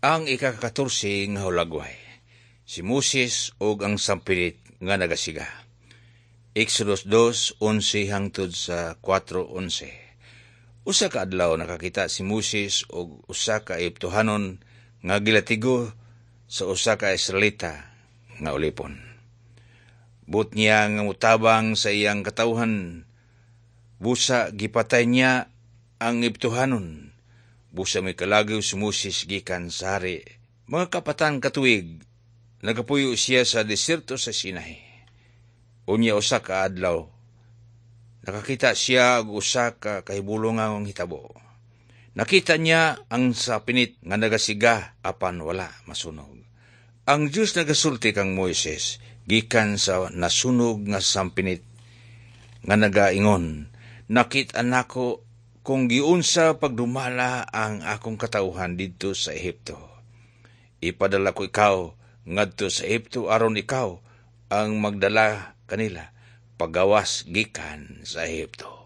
Ang ika-14 nga hulagway. Si Moses ug ang sampinit nga nagasiga. Exodus 2:11 hangtod sa 4:11. Usa ka adlaw, nakakita si Moses og usa ka Egyptohanon nga gilatigo sa usa ka Israelita nga ulipon. Buot niya nga mutabang sa iyang katawhan. Busa gipatay niya ang Egyptohanon. Busa mikalagaw si Moses gikan sa hari. Mga kapatan ka tuig, nagapuyo siya sa diserto sa Sinai. Unya usa ka adlaw, nakakita siya og usa ka kahibulongang hitabo. Nakita niya ang sapinit nga nagasiga apan wala masunog. Ang Dios nagasulti kang Moises gikan sa nasunog nga sampinit nga nagaingon, "Nakit-an nako kung giunsa pagdumala ang akong katawhan didto sa Ehipto. Ipadala ko ikaw ngadto sa Ehipto aron ikaw ang magdala kanila pagawas gikan sa Ehipto."